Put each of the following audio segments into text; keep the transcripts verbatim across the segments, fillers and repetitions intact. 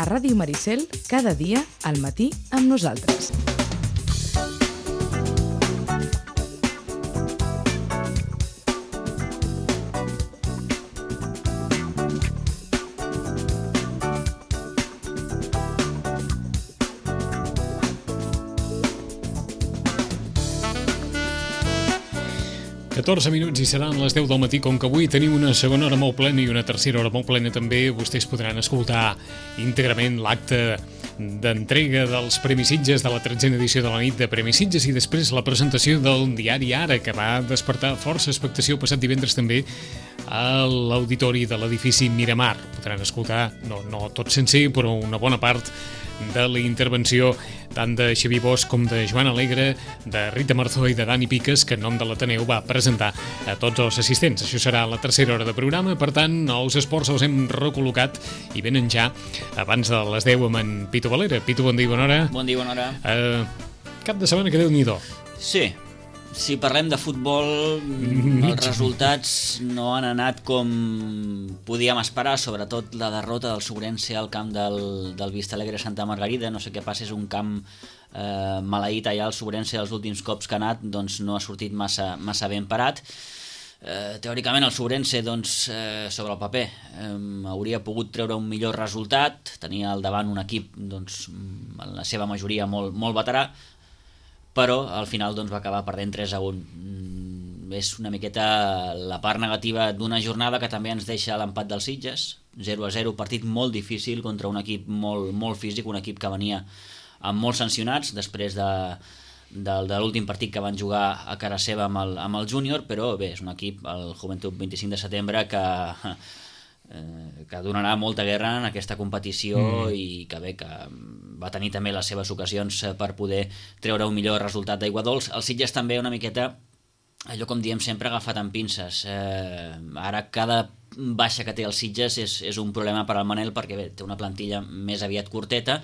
a Ràdio Maricel cada dia al matí amb nosaltres. catorze minuts i seran les deu del matí. Com que avui tenim una segona hora molt plena i una tercera hora molt plena també, vostès podran escoltar íntegrament l'acte d'entrega dels Premis Sitges de la tretzena edició de la nit de Premis Sitges i després la presentació del diari Ara, que va despertar força expectació passat divendres també a l'auditori de l'edifici Miramar. Podran escoltar, no, no tot sencer, però una bona part de la intervenció tant de Xavier Bosch com de Joan Alegre, de Rita Marzó i de Dani Piques, que en nom de l'Ateneu va presentar a tots els assistents. Això serà la tercera hora de programa, per tant, els esports els hem recol·locat i venen ja abans de les deu amb en Pitu Valera. Pitu, bon dia i bona hora. Bon dia i bona hora. Uh, cap de setmana que Déu-n'hi-do. Sí, si parlem de futbol, els resultats no han anat com podíem esperar, sobretot la derrota del Sobrense al camp del, del Vistalegre Santa Margarida. No sé què passa, és un camp eh, maleït allà. El Sobrense els últims cops que ha anat doncs, no ha sortit massa, massa ben parat. Eh, teòricament el Sobrense doncs, eh, sobre el paper eh, hauria pogut treure un millor resultat. Tenia al davant un equip doncs, en la seva majoria molt, molt veterà, però al final doncs, va acabar perdent tres a un. Mm, és una miqueta la part negativa d'una jornada que també ens deixa l'empat dels Sitges, zero a zero, partit molt difícil contra un equip molt, molt físic, un equip que venia amb molts sancionats després de, de, de l'últim partit que van jugar a cara seva amb el, amb el júnior, però bé, és un equip, el Joventut vint-i-cinc de setembre, que... que donarà molta guerra en aquesta competició mm. i que bé, que va tenir també les seves ocasions per poder treure un millor resultat d'aigua dolç. El Sitges també una miqueta, allò com diem sempre, agafat amb pinces. Eh, ara cada baixa que té el Sitges és, és un problema per al Manel, perquè bé, té una plantilla més aviat curteta.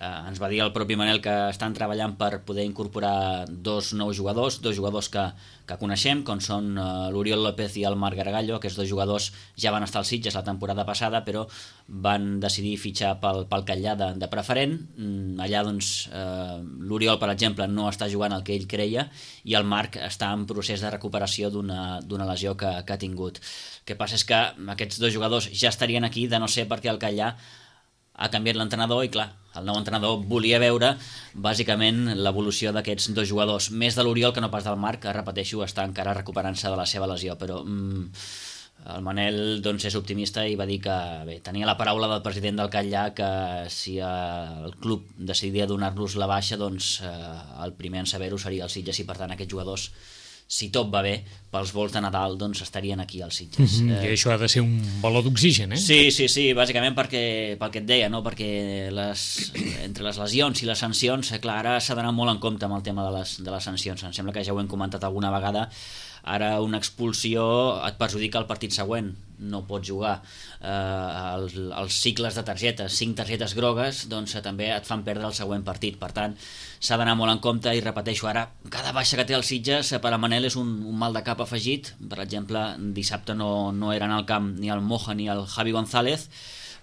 Eh, ens va dir el propi Manel que estan treballant per poder incorporar dos nous jugadors, dos jugadors que, que coneixem, com són eh, l'Oriol López i el Marc Gargallo. Aquests dos jugadors ja van estar als Sitges la temporada passada, però van decidir fitxar pel, pel Catllà de, de preferent. Mm, allà doncs eh, l'Oriol, per exemple, no està jugant el que ell creia i el Marc està en procés de recuperació d'una, d'una lesió que, que ha tingut. El que passa és que aquests dos jugadors ja estarien aquí, de no ser perquè el Catllà ha canviat l'entrenador i clar, el nou entrenador volia veure bàsicament l'evolució d'aquests dos jugadors, més de l'Oriol que no pas del Marc, que repeteixo, està encara recuperant-se de la seva lesió, però mm, el Manel doncs, és optimista i va dir que bé, tenia la paraula del president del Catllà que si el club decidia donar-los la baixa, doncs eh, el primer en saber-ho seria el Sitges i per tant aquests jugadors, si tot va bé, pels vols de Nadal doncs estarien aquí als Sitges. Mm-hmm. I això ha de ser un baló d'oxigen, eh? Sí, sí, sí, bàsicament perquè, pel que et deia, no? Perquè les, entre les lesions i les sancions, clar, ara s'ha d'anar molt en compte amb el tema de les, de les sancions. Em sembla que ja ho hem comentat alguna vegada. Ara una expulsió et perjudica el partit següent, no pots jugar. Eh, els, els cicles de targetes, cinc targetes grogues, doncs també et fan perdre el següent partit. Per tant, s'ha d'anar molt en compte i repeteixo, ara cada baixa que té el Sitges per a Manel és un, un mal de cap afegit. Per exemple, dissabte no, no eren al camp ni el Moja ni el Javi González.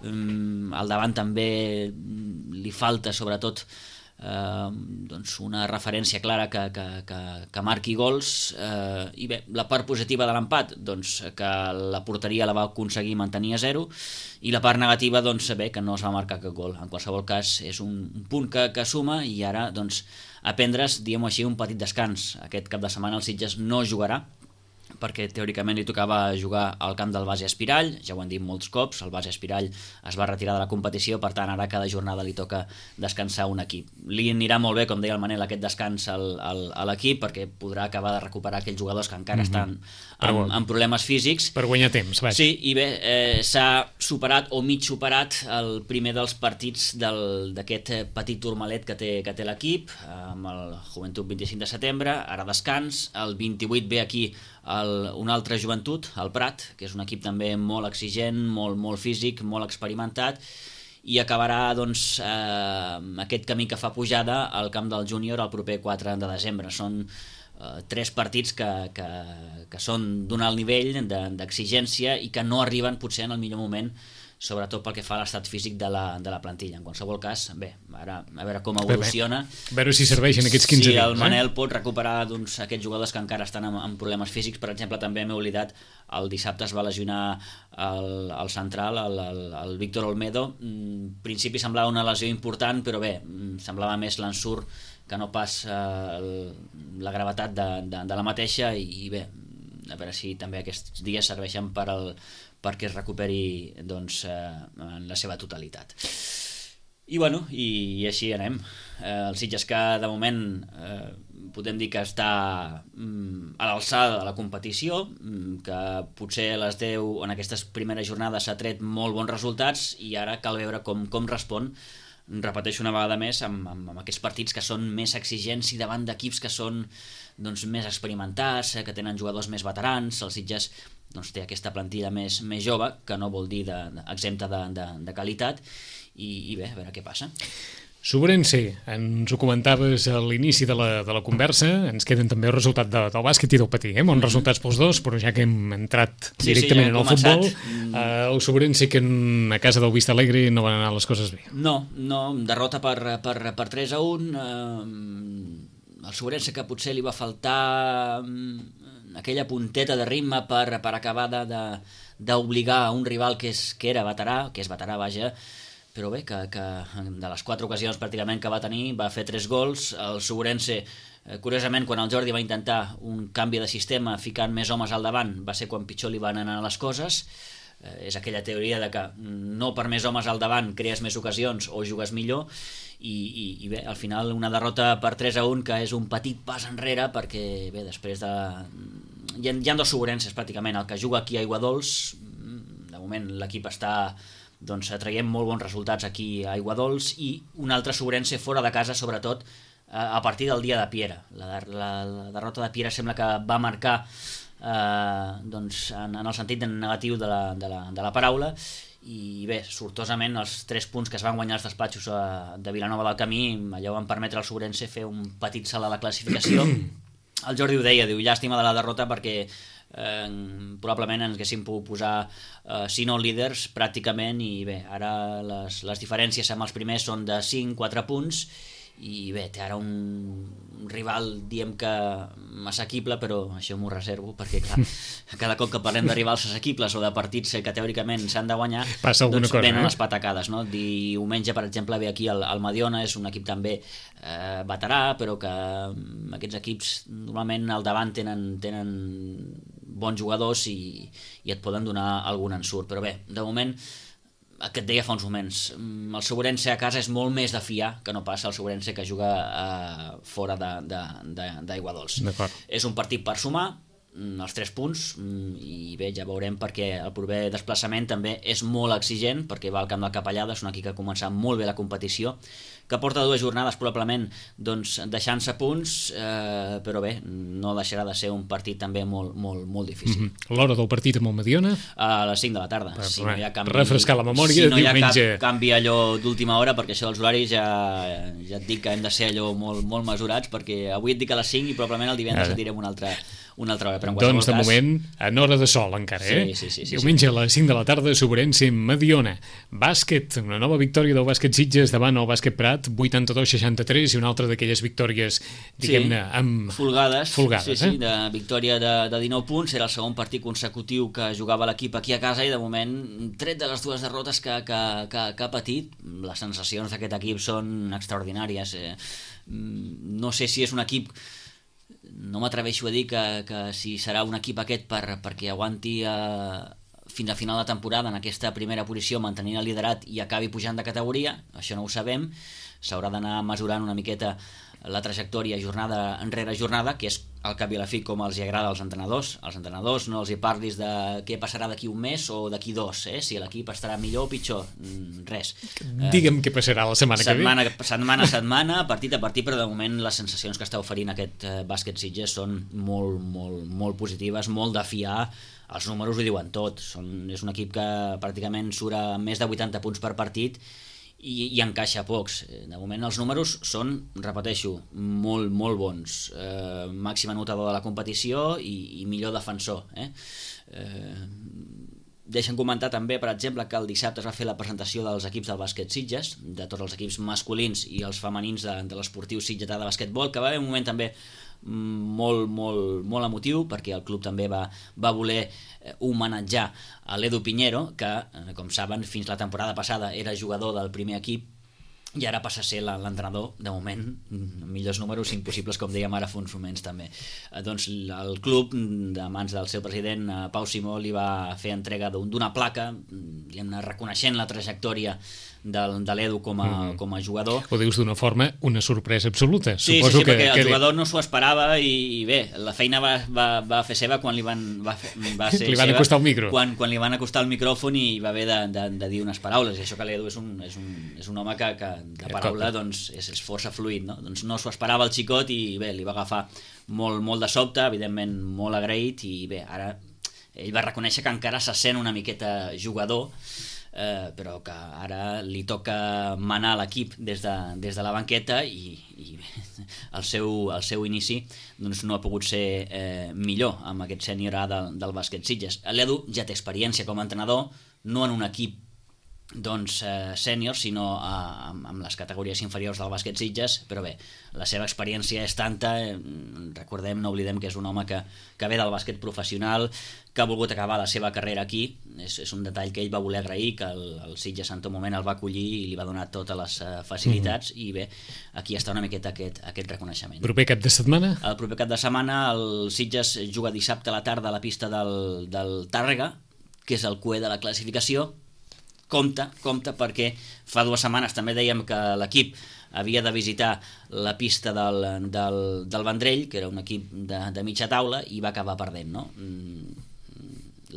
Um, al davant també li falta sobretot eh, doncs una referència clara que, que, que, que marqui gols, eh, i bé, la part positiva de l'empat, doncs que la porteria la va aconseguir mantenir a zero, i la part negativa, doncs bé, que no es va marcar cap gol. En qualsevol cas és un, un punt que, que suma, i ara doncs a prendre's, diguem-ho així, un petit descans. Aquest cap de setmana el Sitges no jugarà, perquè teòricament li tocava jugar al camp del Base Espirall, ja ho han dit molts cops, el Base Espirall es va retirar de la competició, per tant ara cada jornada li toca descansar un equip. Li anirà molt bé, com deia el Manel, aquest descans al, al, a l'equip, perquè podrà acabar de recuperar aquells jugadors que encara mm-hmm. estan amb, amb problemes físics. Per guanyar temps, vaja. Sí, i bé, eh, s'ha superat o mig superat el primer dels partits del, d'aquest petit turmalet que té, que té l'equip, amb el Joventut vint-i-cinc de setembre, ara descans, el vint-i-vuit ve aquí el, un altre Joventut, el Prat, que és un equip també molt exigent, molt, molt físic, molt experimentat, i acabarà doncs, eh, aquest camí que fa pujada al camp del júnior el proper quatre de desembre. Són eh, tres partits que, que, que són d'un alt nivell de, d'exigència i que no arriben potser en el millor moment sobretot pel que fa a l'estat físic de la, de la plantilla. En qualsevol cas, bé, ara a veure com evoluciona. A veure si serveixen aquests quinze si dies. Si el Manel eh? pot recuperar doncs, aquests jugadors que encara estan amb, amb problemes físics. Per exemple, també m'he oblidat, el dissabte es va lesionar el, el central, el, el, el Víctor Olmedo. En principi semblava una lesió important, però bé, semblava més l'ensurt que no pas eh, la gravetat de, de, de la mateixa, i, i bé, a veure si també aquests dies serveixen per el, perquè es recuperi doncs, eh, en la seva totalitat. I bueno, i, i així anem. Eh, el Sitges, que de moment eh, podem dir que està mm, a l'alçada de la competició, mm, que potser a les deu en aquestes primeres jornades s'ha tret molt bons resultats, i ara cal veure com, com respon, repeteixo una vegada més, amb, amb, amb aquests partits que són més exigents i davant d'equips que són doncs, més experimentats, eh, que tenen jugadors més veterans. El Sitges doncs, té aquesta plantilla més, més jove, que no vol dir de, de, exempta de, de, de qualitat, i, i bé, a veure què passa. Sobrense, ens ho comentaves a l'inici de la, de la conversa, ens queden també el resultat de, del bàsquet i del patí, eh? Bons resultats pels dos, però ja que hem entrat sí, directament sí, ja en el començat. futbol, eh, el Sobrense, que en, a casa del Vista Alegre no van anar les coses bé. No, no, derrota per, per, per tres a un, eh, el Sobrense, que potser li va faltar eh, aquella punteta de ritme per, per acabar d'obligar a un rival que, és, que era veterà, que és veterà, vaja, però bé, que, que de les quatre ocasions pràcticament que va tenir va fer tres gols. El Sobrense, eh, curiosament, quan el Jordi va intentar un canvi de sistema ficant més homes al davant, va ser quan pitjor li van anar les coses. Eh, és aquella teoria de que no per més homes al davant crees més ocasions o jugues millor, i, i, i bé, al final una derrota per tres a un, que és un petit pas enrere, perquè bé, després de... Hi ha, hi ha dos Sobrenses pràcticament, el que juga aquí a Aiguadols, de moment l'equip està doncs traiem molt bons resultats aquí a Aiguadols, i un altre Sobrense fora de casa, sobretot a partir del dia de Piera. La, la, la derrota de Piera sembla que va marcar eh, doncs, en, en el sentit negatiu de la, de, la, de la paraula, i bé, sortosament els tres punts que es van guanyar els despatxos eh, de Vilanova del Camí, allò van permetre al Sobrense fer un petit salt a la classificació. El Jordi ho deia, diu, llàstima de la derrota, perquè Eh, probablement ens haguéssim pogut posar eh, si no líders pràcticament, i bé, ara les, les diferències amb els primers són de cinc quatre punts, i bé, té ara un, un rival, diem que assequible, però això m'ho reservo, perquè clar, cada cop que parlem de rivals assequibles o de partits que teòricament s'han de guanyar, passa alguna doncs cosa, venen eh? les patacades, no? Diumenge, per exemple, ve aquí el, el Mediona, és un equip també eh, veterà, però que aquests equips normalment al davant tenen, tenen bons jugadors, i, i et poden donar algun ensurt. Però bé, de moment, el que et deia fa uns moments, el Sobrense a casa és molt més de fiar que no passa el Sobrense que juga eh, fora d'Aiguadols. És un partit per sumar els tres punts, i bé, ja veurem, perquè el proper desplaçament també és molt exigent, perquè va al camp del Capellada, és un equip que ha començat molt bé la competició, que porta dues jornades probablement doncs, deixant-se punts, eh, però bé, no deixarà de ser un partit també molt, molt, molt difícil. Mm-hmm. L'hora del partit amb el Mediona? A les cinc de la tarda. Per, si no hi ha canvi, refrescar la memòria, si no hi ha diumenge... cap canvi allò d'última hora, perquè això dels horaris ja, ja et dic que hem de ser allò molt, molt mesurats, perquè avui et dic a les cinc i probablement el divendres et direm una altra, una altra hora. Però en doncs de cas... moment en hora de sol encara, eh? Sí, sí, sí, sí, diumenge sí. a les cinc de la tarda, Sobrense Mediona. Bàsquet, una nova victòria del bàsquet Sitges davant el bàsquet Prat, vuitanta-dos seixanta-tres, i una altra d'aquelles victòries, diguem-ne, sí, amb... folgades, folgades sí, eh? sí, de victòria de, de dinou punts. Era el segon partit consecutiu que jugava l'equip aquí a casa, i de moment, tret de les dues derrotes que, que, que, que ha patit, les sensacions d'aquest equip són extraordinàries. Eh, no sé si és un equip... No m'atreveixo a dir que, que si serà un equip aquest per, perquè aguanti eh, fins a final de temporada en aquesta primera posició, mantenint el liderat, i acabi pujant de categoria. Això no ho sabem. S'haurà d'anar mesurant una miqueta la trajectòria jornada enrere jornada, que és al cap i a la fi com els hi agrada als entrenadors. Als entrenadors no els hi parlis de què passarà d'aquí un mes o d'aquí dos, eh? Si l'equip estarà millor o pitjor, res. Digue'm eh, què passarà la setmana, setmana que ve. Setmana a setmana, partit a partit, però de moment les sensacions que està oferint aquest eh, bàsquet Sitges són molt, molt, molt positives, molt de fiar. Els números ho diuen tot. Són, és un equip que pràcticament surt a més de vuitanta punts per partit, i, i encaixa pocs. De moment els números són, repeteixo, molt, molt bons. Eh, màxim anotador de la competició i, i millor defensor. Eh? Eh, deixen comentar també, per exemple, que el dissabte es va fer la presentació dels equips del bàsquet Sitges, de tots els equips masculins i els femenins de, de l'esportiu sitgetà de bàsquetbol, que va haver un moment també molt, molt, molt emotiu, perquè el club també va, va voler homenatjar a l'Edu Piñero, que, com saben, fins la temporada passada era jugador del primer equip i ara passa a ser l'entrenador, de moment, millors números impossibles, com dèiem ara fa uns moments també. Eh, doncs el club, de mans del seu president, eh, Pau Simó, li va fer entrega d'una placa, reconeixent la trajectòria del, de l'Edu com, mm. com a jugador. Ho dius d'una forma, una sorpresa absoluta. Sí, Suposo sí, sí, que, perquè el que... jugador no s'ho esperava i, i bé, la feina va, va, va fer seva quan li van, va fer, va ser li van seva, acostar el micro. Quan, quan li van acostar el micròfon i va haver de, de, de dir unes paraules, i això que l'Edu és un, és un, és un home que, que de paraula doncs, és, és força fluid, no? Doncs no s'ho esperava el xicot i bé, li va agafar molt, molt de sobte, evidentment molt agraït, i bé, ara ell va reconèixer que encara se sent una miqueta jugador, eh, però que ara li toca manar l'equip des, de, des de la banqueta i, i el, seu, el seu inici doncs, no ha pogut ser eh, millor amb aquest sènior A del, del bàsquet Sitges. L'Edu ja té experiència com a entrenador, no en un equip doncs eh, sènior, sinó eh, amb, amb les categories inferiors del bàsquet Sitges, però bé, la seva experiència és tanta, eh, recordem, no oblidem que és un home que, que ve del bàsquet professional, que ha volgut acabar la seva carrera aquí, és, és un detall que ell va voler agrair, que el, el Sitges en tot moment el va acollir i li va donar totes les uh, facilitats, mm-hmm. i bé, aquí està una miqueta aquest, aquest reconeixement. Proper cap de setmana? El proper cap de setmana el Sitges juga dissabte a la tarda a la pista del, del Tàrrega, que és el cué de la classificació. Compte, compte, perquè fa dues setmanes també dèiem que l'equip havia de visitar la pista del, del, del Vendrell, que era un equip de, de mitja taula, i va acabar perdent, no?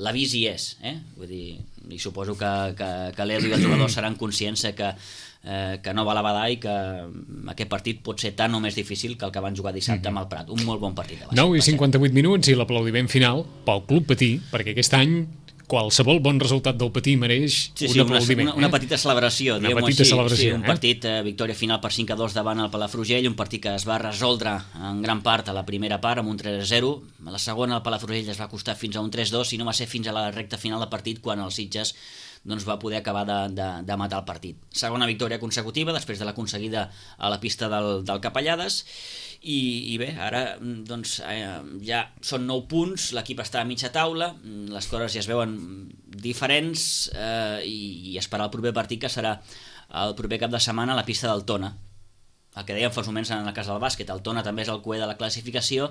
L'avís hi és, eh? Vull dir, i suposo que, que, que l'Edu i els jugadors seran conscients que, eh, que no va a la badar i que aquest partit pot ser tan o més difícil que el que van jugar dissabte amb el Prat. Un molt bon partit. nou i cinquanta-vuit minuts i l'aplaudiment final pel Club Patí, perquè aquest any qualsevol bon resultat del Patí mereix sí, un sí, aplaudiment. Una, una, una petita celebració, una petita així. celebració. Sí, un partit, eh, victòria final per cinc a dos davant el Palafrugell, un partit que es va resoldre en gran part a la primera part amb un tres a zero, a la segona el Palafrugell es va costar fins a un tres a dos i no va ser fins a la recta final del partit quan el Sitges doncs, va poder acabar de, de, de matar el partit. Segona victòria consecutiva després de l'aconseguida a la pista del, del Capellades. I, i bé, ara doncs, eh, ja són nou punts, l'equip està a mitja taula, les coses ja es veuen diferents, eh, i, i esperar el proper partit, que serà el proper cap de setmana a la pista del Tona. El que dèiem fa uns moments en el cas del bàsquet, el Tona també és el cué de la classificació,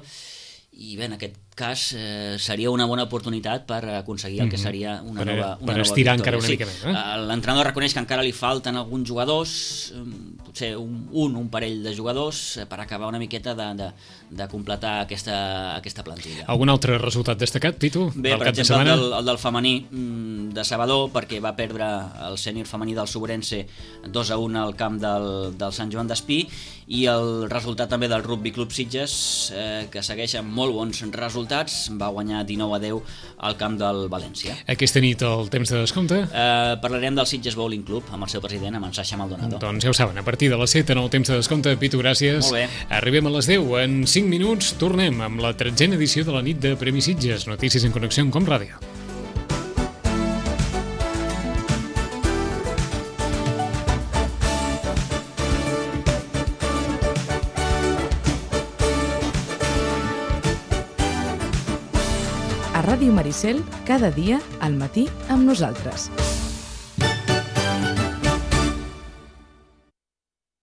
i bé, en aquest cas eh, seria una bona oportunitat per aconseguir el que seria una per, nova una per nova estirar victòria. encara una sí, mica més, eh? L'entrenador reconeix que encara li falten alguns jugadors, potser un, un, un parell de jugadors, per acabar una miqueta de, de, de completar aquesta, aquesta plantilla. Algun altre resultat destacat, Pitu? Bé, per exemple, el del, el del femení de Sabador, perquè va perdre el sènior femení del Sobrense dos a un al camp del, del Sant Joan d'Espí, i el resultat també del Rugby Club Sitges, eh, que segueix amb molt bons resultats, va guanyar dinou a deu al camp del València. Aquesta nit el temps de descompte? Eh, parlarem del Sitges Bowling Club amb el seu president, amb en Sasha Maldonado. Doncs ja ho saben, a partir de les set en el temps de descompte. Pitu, gràcies. Molt bé. Arribem a les deu. En cinc minuts tornem amb la tretzena edició de la nit de Premi Sitges. Notícies en connexió amb Com Ràdio. A Ràdio Maricel, cada dia al matí amb nosaltres.